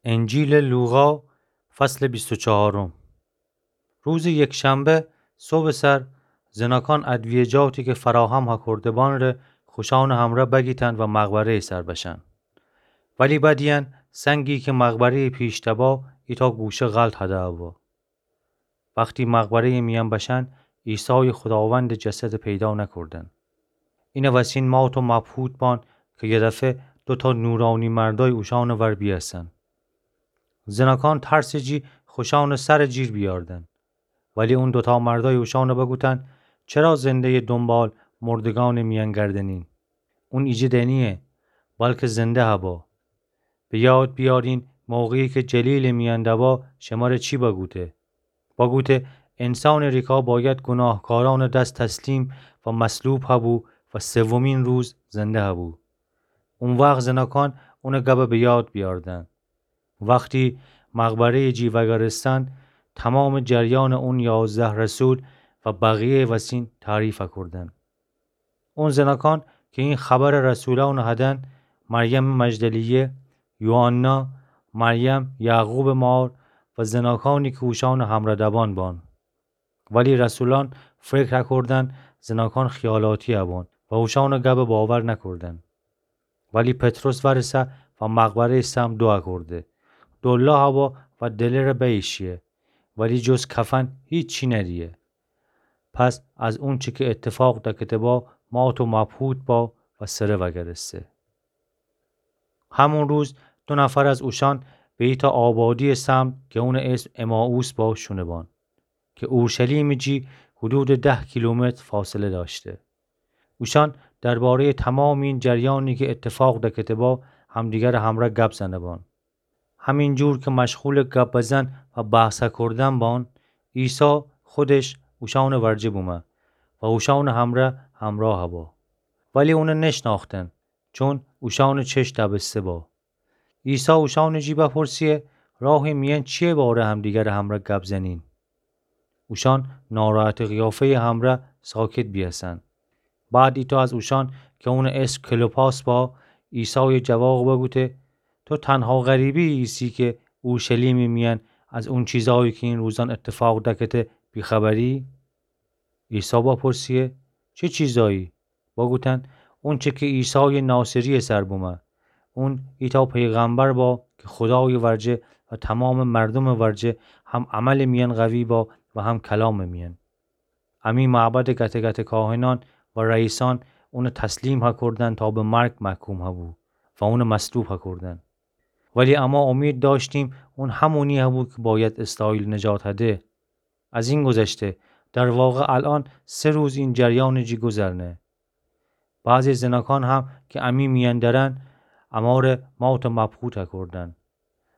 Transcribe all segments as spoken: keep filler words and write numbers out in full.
انجیلٚ لوقا، فصلٚ بیست و چهارم. روزٚ یکشنبه صبحٚ سر، زناکان ادویه‌جاتی که فراهم هکورده‌بان ره خوشانٚ همرأ بگیتن و مقبره‌یٚ سر بشن. ولی بدیأن سنگی که مقبره‌یٚ پیشتأ با، ایتأ گوشه غلط هده هوا. وختی مقبره‌یٚ میأن بشن، عیسایٚ خوداوندٚ جسدٚ پیدا نکوردن. اینٚ وسین مات و مبهوت بان که یه دفعه دوتأ نورانی مردای اوشانٚ ور بیأسن. زناکان ترسٚ جی خوشانٚ سرٚ جیر بیأردن. ولی اون دوتأ مردای اوشانٚ بگوتن: چرا زنده‌یٚ دونبال مردگانٚ میأن گردنین؟ اون ایجه دنییه، بلکه زنده هبا. به یاد بیأرین موقعی که جلیلٚ میأن دبا شمره چی بگوته. بگوته: انسانٚ ریکا باید گوناهکارانٚ دس تسلیم و مصلوب هبو و سومین روز زنده هبو. او وخت زناکان اونٚ گبٚ به یاد بیأردن. وختی مقبره‌یٚ جی وأگرستن، تومامٚ جریانٚ اون یازده رسول و بقیه‌یٚ وسین تعریف هکوردن. اون زناکان که این خبرٚ رسولانٚ هدن، مریمٚ مجدلیه، یوحنا، مریم یعقوبٚ مار و زناکانی که اوشانٚ همرأ دبان بان. ولی رسولان فکر هکوردن زناکان خیالاتی هبان و اوشانٚ گبٚ باور نکوردن. ولی پطرس وأرسه و مقبره‌یٚ سمت دو هکورده. دولا هوا و دلٚره بیشیه، ولی جز کفن هیچی ندیه. پس از اونچه که اتفاق دکته با، مات و مبهوت با و سره وأگرسته. همون روز دو نفر از اوشان به ایتأ آبادییٚ سمت که اونٚ اسم امائوس با شونه بان، که اورشلیمٚ جی حدودٚ ده کیلومتر فاصله دأشته. اوشان درباره‌یٚ تومامٚ این جریانی که اتفاق دکته با، همدیگرٚ همرأ گب زنه بان. همین جور که مشغولٚ گب بزن و بحث هکوردن بان، عیسی خودش اوشانٚ ورجه بومه و اوشانٚ همرأ همراه با. ولی اونٚ نشنأختن، چون اوشانٚ چشم دبسته با. عیسی اوشانٚ جی بپرسیه: راهٚ میأن چییه باره همدیگرٚ همرأ گب زنین؟ اوشان ناراحتٚ قیافه‌یٚ همرأ ساکت بیأسن. بعد ایتأ از اوشان که اونٚ اسم کلوپاس با، عیسایٚ جواق بگوته: تو تنها غریبه‌یی ایسی که اورشلیمٚ میأن از اون چیزایی که این روزان اتفاق دکته بیخبری؟ عیسی بپرسیه: چه چیزایی؟ بگوتن: اونچه که عیسایٚ ناصرییٚ سر بومه. اون ایتأ پیغمبر با که خودایٚ ورجه و تومامٚ مردومٚ ورجه هم عملٚ میأن قوی با و هم کلامٚ میأن. امی معبدٚ گته گته کاهنأن و رئیسأن اونٚ تسلیم هکوردن تا به مرگ محکوم هبو و اونٚ مصلوب هکوردن. ولی اما امید دأشتیم اون همونی هبو که باید اسرائیل نجات هده. از این گذشته، در واقع الأن سه روز این جریانٚ جی گذرنه. بعضی زناکان هم که امی میأن درن، اماره مات و مبهوت هکوردن.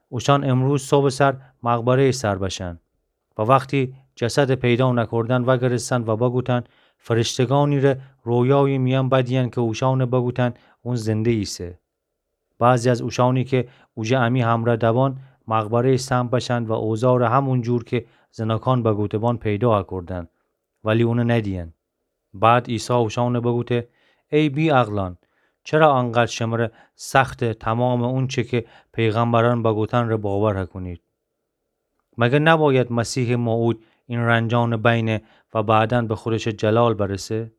اوشان امروز صبحٚ سر مقبره‌یٚ سر بشن و وختی جسدٚ پیدا نکوردن وأگرستن و بگوتن: فرشتگانی ره رویایٚ میأن بدیأن که اوشانٚ بگوتن اون زنده ایسه. بعضی از اوشانی که اوجه امی همرأ دبان، مقبره‌یٚ سمت بشن و اوزاره همون جور که زناکان بگوته بان پیدا هکوردن، ولی اونٚ ندیأن. بعد عیسی اوشانٚ بگوته: ای بی‌عقلأن، چرا انقدر شمره سخته تومامٚ اونچه که پیغمبرأن بگوتن ره باور هکونید؟ مگر نباید مسیحٚ موعود این رنجأنٚ بینه و بعدا به خودشٚ جلال برسه؟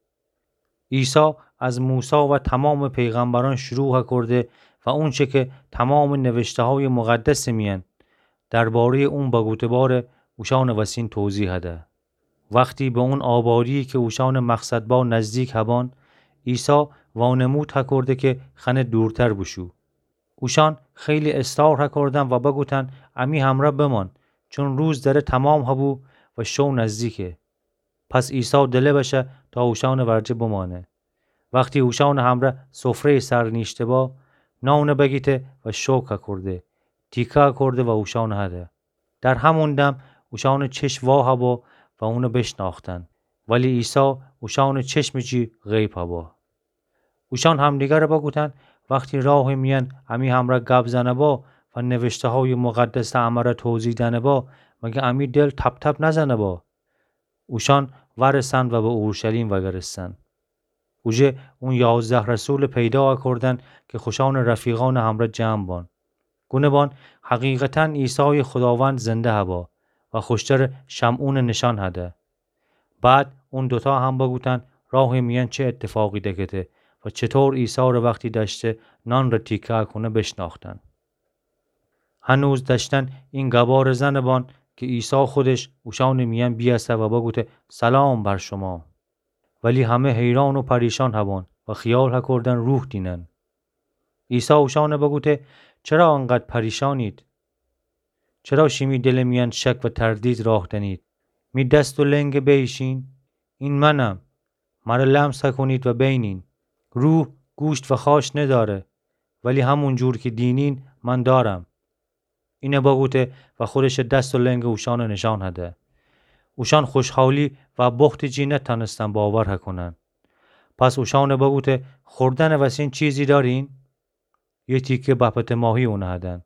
عیسی از موسی و تومامٚ پیغمبرأن شروع هکورده و اونچه که تومامٚ نوشته‌هایٚ مقدسٚ میأن درباره‌یٚ اون بگوته باره، اوشانٚ وسین توضیح هده. وختی به اون آبادیی که اوشانٚ مقصد با نزدیک هبان، عیسی وانمود هکورده که خأنه دورتر بوشو. اوشان خیلی اصرار هکوردن و بگوتن: امی همرأ بمان، چون روز دره تومام هبو و شو نزدیکه. پس عیسی دله بشه تا اوشانٚ ورجه بمأنه. وختی اوشانٚ همرأ سفره‌یٚ سر نیشته با، نان بگیته و شکر هکورده، تیکه هکورده و اوشان هده. در همون دم اوشانٚ چشم وا هبا و اون بشنأختن، ولی عیسی اوشانٚ چشمٚ جی غیب هبا. اوشان همدیگر بگوتن: وختی راهٚ میأن امی همرأ گب زنه با و نوشته‌هایٚ مقدس امره توضیح دأنه با، مگر امی دل تپ‌تپ نزنه با؟ اوشان وأرسن و به اورشلیم وأگرستن. اوجه اون یازده رسولٚ پیدا هکوردن که خوشانٚ رفیقأنٚ همرأ جمع بان. گونه‌بان حقیقتاً عیسای خوداوند زنده هبا و خوشتر شمعونٚ نشان هده. بعد اون دوتا هم بگوتن راهٚ میأن چه اتفاقی دکته و چطور عیسارٚ وختی دأشته نانٚ تیکه کونه بشناختن. هنوز دأشتن این گبارٚ زنه‌بان که عیسی خودش اوشانٚ میأن بیأسه و بگوته: سلام بر شما. ولی همه حیران و پریشان هبان و خیال هکردن روح دینن. عیسی اوشانه بگوته: چرا انقدر پریشانید؟ چرا شیمی دلٚ میأن شک و تردید راه دنید؟ می دست و لنگه بیشین، این منم. مره لمس هکونید و بینین. روح گوشت و خاش نداره، ولی همون جور که دینین من دارم. اینه بگوته و خودشٚ دست و لنگه اوشانه نشان هده. اوشان خوشحالی و بختٚ جی نتأنستن باور هکونن. پس اوشانه بگوته: خوردنٚ وسین چیزی دارین؟ یه تیکه بپتٚ ماهی اونه هدن.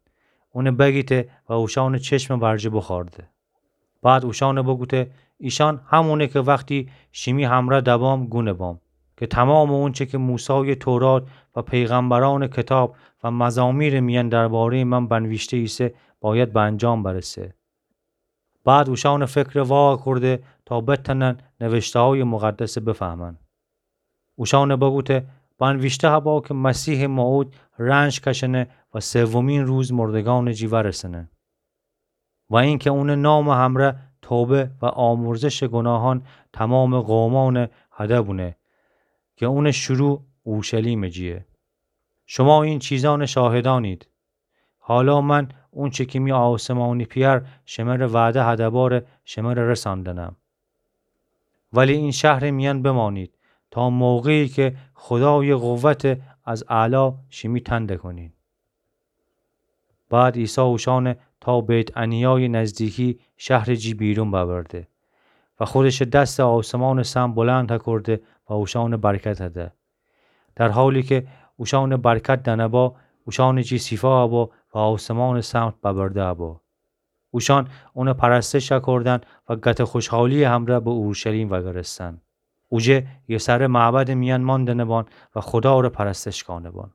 اونه بگیته و اوشانٚ چشمٚ ورجه بخورده. بعد اوشانه بگوته: ایشان همونه که وختی شیمی همره دبام گونه‌بام، که تمامٚ اونچه که موسایٚ تورات و پیغمبرانٚ کتاب و مزامیرٚ میأن درباره‌یٚ من بنویشته ایسه، باید به انجام برسه. بعد اوشانٚ فکره واکرده تا بتأنن نوشته‌هایٚ مقدسه بفهمن. اوشانه بگوته: بنویشته هبا که مسیحٚ موعود رنج کشنه و سومین روز مردگانٚ جی ورسنه. و اینکه اونٚ نامٚ همره توبه و آمرزشٚ گناهان تمامٚ قومانٚ هده بونه، که اونٚ شروع اورشلیمٚ جیه. شما این چیزانٚ شاهدانید. حالا من اونچه که می آسمانی پئر شمره وعده هده باره شمره رساندنم. ولی این شهرٚ میأن بمانید تا موقعی که خدایٚ قوته از اعلا شیمی تنده کنین. بعد عیسی اوشانه تا بیت‌عنیایٚ نزدیکی شهرٚ جی بیرون ببرده و خودشٚ دستٚ آسمانٚ سمت بلند هکرده و اوشانه برکت هده. در حالی که اوشانه برکت دنه با، اوشانٚ جی سیفا با و آسمانٚ سمت ببرده با. اوشان اونه پرستش هکردن و گت خوشحالی‌یٚ همره به اورشلیم وگرستن. اوجه یه سره معبدٚ میأن ماندنه بان و خداره پرستش کانه بان.